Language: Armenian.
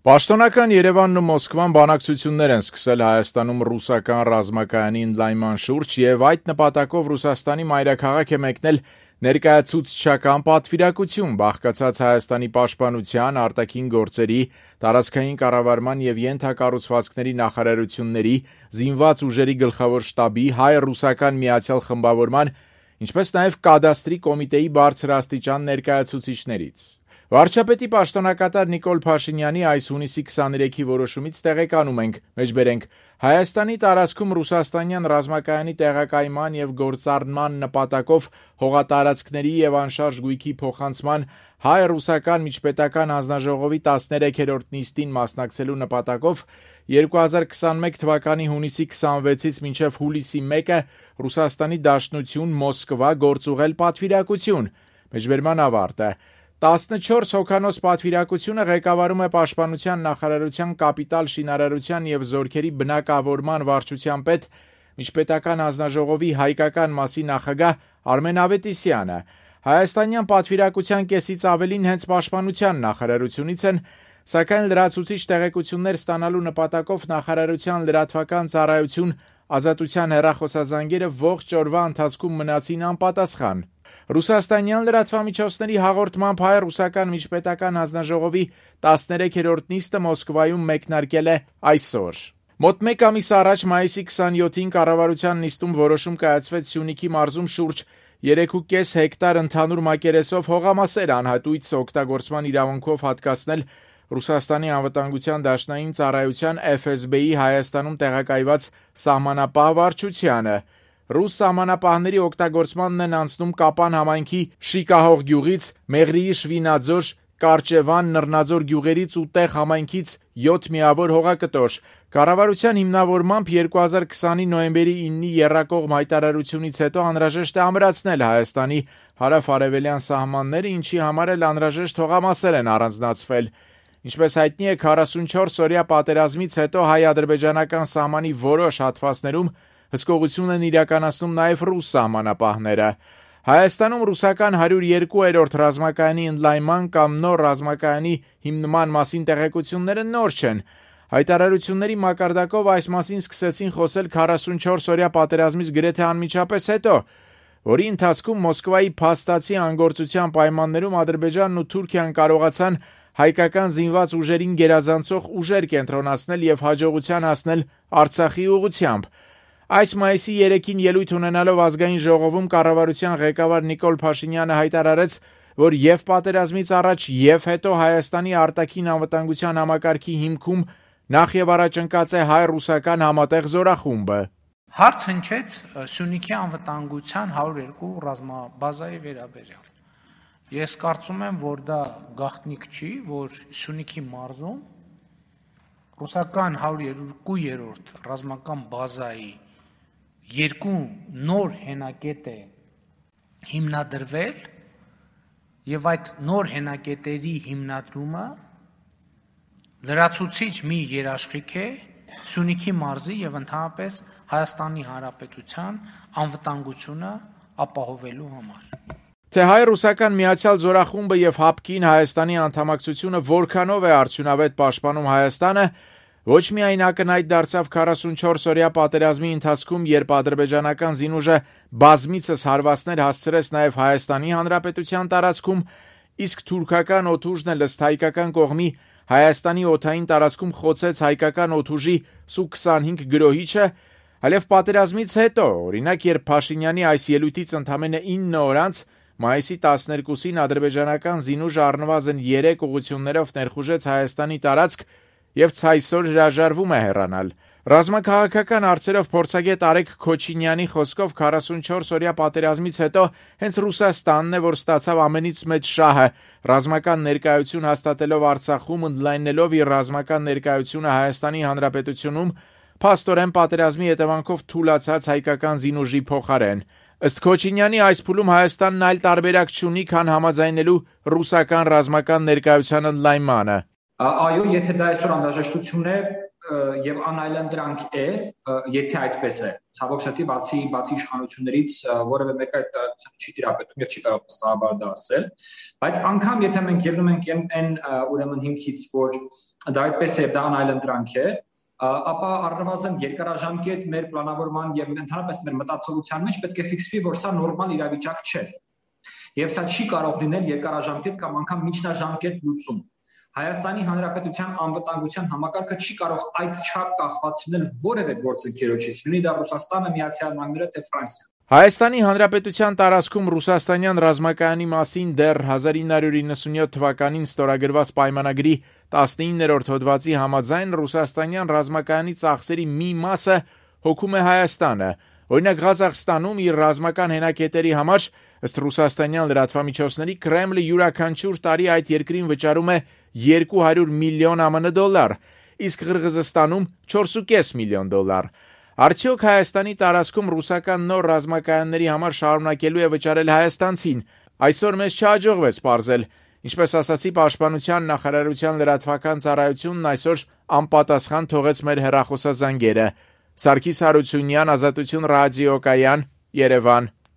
Պաշտոնական Երևանն ու Մոսկվան բանակցություններ են սկսել Հայաստանում ռուսական ռազմակայանի ընդլայնման շուրջ եւ այդ նպատակով Ռուսաստանի մայրաքաղաք է մեկնել ներկայացուցչական պատվիրակություն, բաղկացած Հայաստանի պաշտպանության, արտաքին գործերի, տարածքային կառավարման եւ ենթակառուցվածքների նախարարությունների, զինված ուժերի գլխավոր շտաբի, հայ-ռուսական միացյալ խմբավորման, ինչպես նաեւ կադաստրի կոմիտեի բարձրաստիճան ներկայացուցիչներից։ Վարչապետի պաշտոնակատար Նիկոլ Փաշինյանի այս հունիսի 23-ի որոշումից տեղեկանում ենք, մեջբերենք, Հայաստանի տարածքում ռուսաստանյան ռազմակայանի տեղակայման եւ գործառնման նպատակով հողատարածքների եւ անշարժ գույքի փոխանցման հայ-ռուսական միջպետական հանձնաժողովի 13-րդ նիստին մասնակցելու նպատակով 2021 թվականի հունիսի 26-ից մինչև հուլիսի 1-ը Ռուսաստանի Դաշնություն Մոսկվա գործուղել պատվիրակություն, մեջբերման ավարտը։ 14 հոգանոց պատվիրակությունը ղեկավարում է Պաշտպանության նախարարության կապիտալ շինարարության եւ զորքերի բնակավորման վարչության պետ միջպետական հանձնաժողովի հայկական մասի նախագահ Արմեն Ավետիսյանը։ Հայաստանյան պատվիրակության կեսից ավելին հենց Պաշտպանության նախարարությունից են, սակայն լրացուցիչ տեղեկություններ ստանալու նպատակով նախարարության լրատվական ծառայություն Ազատության հեռախոսազանգերը ողջ օրվա ընթացքում մնացին անպատասխան։ Ռուսաստանյան լրատվամիջոցների հաղորդմամբ հայ-ռուսական միջպետական հանձնաժողովի 13-րդ նիստը Մոսկվայում մեկնարկել է այսօր։ Մոտ մեկ ամիս առաջ մայիսի 27-ին կառավարության նիստում որոշում կայացվեց Սյունիքի մարզում շուրջ 3.5 հեկտար ընդհանուր մակերեսով հողամասեր անհատույց օգտագործման իրավունքով հատկացնել Ռուսաստանի անվտանգության դաշնային ծառայության FSB-ի Հայաստանում տեղակայված սահմանապահ վարչությանը։ Ռուս սահմանապահների օգտագործմանն են անցնում Կապան համայնքի Շիկահող գյուղից, Մեղրիի Շվինաձոր, Կարճևան, Նռնաձոր գյուղերից ու Տեղ համայնքից 7 միավոր հողակտոր։ Կառավարության հիմնավորմամբ 2020-ի նոյեմբերի 9-ի եռակողմ հայտարարությունից հետո անհրաժեշտ է ամրացնել Հայաստանի հարավ-արևելյան սահմանները, ինչի համար էլ անհրաժեշտ հողամասեր են առանձնացվել։ Ինչպես հայտնի է, 44-օրյա պատերազմից հետո հայ-ադրբեջանական սահմանի որոշ հատվածներում հսկողություն են իրականացնում նաև ռուս սահմանապահները։ Հայաստանում ռուսական 102-րդ ռազմակայանի ընդլայնման կամ նոր ռազմակայանի հիմնման մասին տեղեկությունները նոր չեն։ Հայտարարությունների մակարդակով այս մասին սկսեցին խոսել 44-օրյա պատերազմից գրեթե անմիջապես հետո, որի ընթացքում Մոսկվայի փաստացի անգործության պայմաններում Ադրբեջանն ու Թուրքիան կարողացան հայկական զինված ուժերին գերազանցող ուժեր կենտրոնացնել եւ հաջողության հասնել Արցախի ուղղությամբ։ Այս մայիսի 3-ին ելույթ ունենալով ազգային ժողովում կառավարության ղեկավար Նիկոլ Փաշինյանը հայտարարեց, որ եւ պատերազմից առաջ եւ հետո Հայաստանի արտաքին անվտանգության համակարգի հիմքում նախ եւ առաջ ընկած է հայ-ռուսական համատեղ զորախումբը։ Հարց հնչեց Սյունիքի անվտանգության 102 ռազմաբազայի վերաբերյալ։ Ես կարծում եմ, որ դա գաղտնիք չի, որ Սյունիքի մարզում ռուսական 102-րդ ռազմական բազայի երկու նոր հենակետ է հիմնադրվել եւ այդ նոր հենակետերի հիմնադրումը լրացուցիչ մի երաշխիք է Սյունիքի մարզի եւ ընդհանրապես Հայաստանի Հանրապետության անվտանգությունը ապահովելու համար։ Թե հայ-ռուսական միացյալ զորախումբը եւ ՀԱՊԿ-ին Հայաստանի անդամակցությունը որքանով է արդյունավետ պաշտպանում Հայաստանը, ոչ միայն ակնհայտ դարձավ 44-օրյա պատերազմի ընթացքում, երբ ադրբեջանական զինուժը բազմիցս հարվածներ հասցրեց նաեւ Հայաստանի Հանրապետության տարածքում, իսկ թուրքական օդուժն էլ ըստ հայկական կողմի Հայաստանի օդային տարածքում խոցեց հայկական օդուժի Սու-25 գրոհիչը, այլև պատերազմից հետո, օրինակ, երբ Փաշինյանի այս ելույթից ընդամենը 9 օր անց մայիսի 12-ին ադրբեջանական զինուժը առնվազն 3 ուղղություններով ներխուժեց Հայաստանի տարածք եւ ցայսօր հրաժարվում է հեռանալ։ Ռազմաքաղաքական հարցերով փորձագետ Արեգ Քոչինյանի խոսքով 44-օրյա պատերազմից հետո հենց Ռուսաստանն է, որ ստացավ ամենից մեծ շահը, ռազմական ներկայություն հաստատելով Արցախում, ընդլայնելով իր ռազմական ներկայությունը Հայաստանի Հանրապետությունում, փաստորեն պատերազմի հետևանքով թուլացած հայկական զինուժի փոխարեն։ Ըստ Քոչինյանի այս փուլում Հայաստանն այլ տարբերակ չունի, քան համաձայնելու ռուսական ռազմական ներկայության ընդլայնմանը։ Այո, եթե դա այսօր անհրաժեշտություն է, եւ անայլանդրանք է, եթե այդպես է։ Ցավոք սրտի բացի իշխանություններից որևէ մեկը այդ չի տիրապետում եւ չի կարող վստահաբար դա ասել, բայց անգամ եթե մենք ելնում ենք այն ուրեմն հիմքից, որ դա այդպես է, դա անայլանդրանք է, ապա առնվազն երկարաժամկետ մեր պլանավորման եւ ընդհանրապես մեր մտածողության մեջ պետք է ֆիքսվի, որ սա նորմալ իրավիճակ չէ։ Եվ սա չի կարող լինել երկարաժամկետ կամ անգամ միջնաժամկետ լուծում։ Հայաստանի Հանրապետության անվտանգության համակարգը չի կարող այդ չափ կախվածնել որևէ գործընկերոջից, լինի դա Ռուսաստանը, Միացյալ Նահանգները, թե Ֆրանսիան։ Հայաստանի Հանրապետության տարածքում ռուսաստանյան ռազմակայանի մասին դեռ 1997 թվականին ստորագրված պայմանագրի 19-րդ հոդվածի համաձայն ռուսաստանյան ռազմակայանի ծախսերի մի մասը հոգում է Հայաստանը։ Օրինակ Ղազախստանում իր ռազմական հենակետերի համար ըստ ռուսաստանյան լրատվամիջոցների Կրեմլը յուրաքանչյուր տարի այդ երկրին վճարում է 200 միլիոն ԱՄՆ դոլար, իսկ Ղրղզստանում 4.5 միլիոն դոլար։ Արդյոք Հայաստանի տարածքում ռուսական նոր ռազմակայանների համար շարունակելու է վճարել հայաստանցին։ Այսօր մեզ չհաջողվեց պարզել։ Ինչպես ասացի, Պաշտպանության նախարարության լրատվական ծառայությունն այսօր անպատասխան թողեց մեր հեռախոսազանգերը։ Սարգիս Հարությունյան, Ազատություն ռադիոկայան, Երևան։